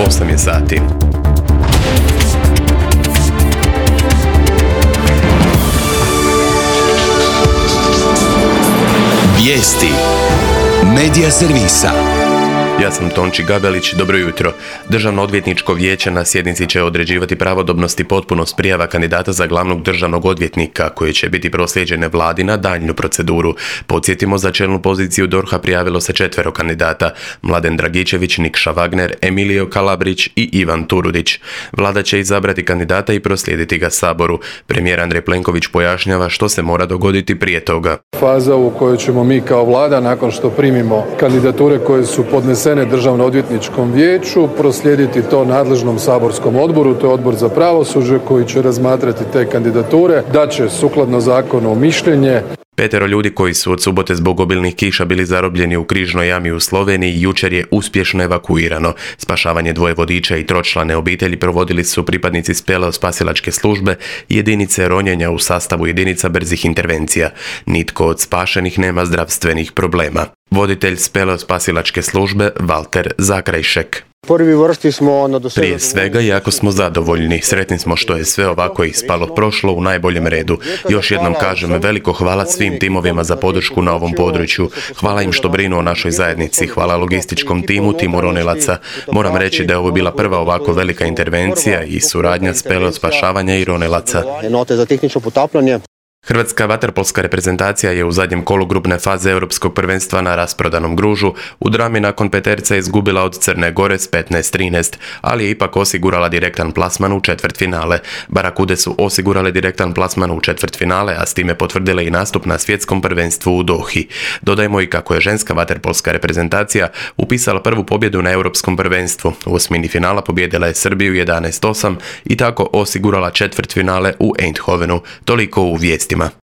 8 je sati. Vijesti Medija servisa. Ja sam Tonči Gabelić, dobro jutro. Državno odvjetničko vijeće na sjednici će određivati pravodobnost i potpunost prijava kandidata za glavnog državnog odvjetnika, koje će biti proslijeđene vladi na daljnju proceduru. Podsjetimo, za čelnu poziciju DORH-a prijavilo se 4 kandidata: Mladen Dragičević, Nikša Wagner, Emilio Kalabrić i Ivan Turudić. Vlada će izabrati kandidata i proslijediti ga Saboru. Premijer Andrej Plenković pojašnjava što se mora dogoditi prije toga. Faza u kojoj ćemo mi kao vlada, nakon što primimo kandidature koje su podnesene Državno odvjetničkom vijeću, proslijediti to nadležnom saborskom odboru, to je Odbor za pravosuđe, koji će razmatrati te kandidature, da će sukladno zakonu mišljenje. 5 ljudi koji su od subote zbog obilnih kiša bili zarobljeni u Križnoj jami u Sloveniji jučer je uspješno evakuirano. Spašavanje 2 vodiča i 3člane obitelji provodili su pripadnici spasilačke službe i jedinice ronjenja u sastavu jedinica brzih intervencija. Nitko od spašenih nema zdravstvenih problema. Voditelj spasilačke službe Valter Zakrajšek. Prije svega, jako smo zadovoljni. Sretni smo što je sve ovako ispalo, prošlo u najboljem redu. Još jednom kažem veliko hvala svim timovima za podršku na ovom području. Hvala im što brinu o našoj zajednici. Hvala logističkom timu ronilaca. Moram reći da je ovo bila prva ovako velika intervencija i suradnja spašavanja i ronilaca. Hrvatska vaterpolska reprezentacija je u zadnjem kolu grupne faze Europskog prvenstva na rasprodanom Gružu u drami nakon peterca izgubila od Crne Gore s 15-13, ali je ipak osigurala direktan plasman u četvrtfinale. Barakude su osigurale direktan plasman u četvrtfinale, a s time potvrdile i nastup na svjetskom prvenstvu u Dohi. Dodajmo i kako je ženska vaterpolska reprezentacija upisala prvu pobjedu na Europskom prvenstvu. U osmini finala pobijedila je Srbiju 11-8 i tako osigurala četvrtfinale u Eindhovenu. Toliko u vijestima.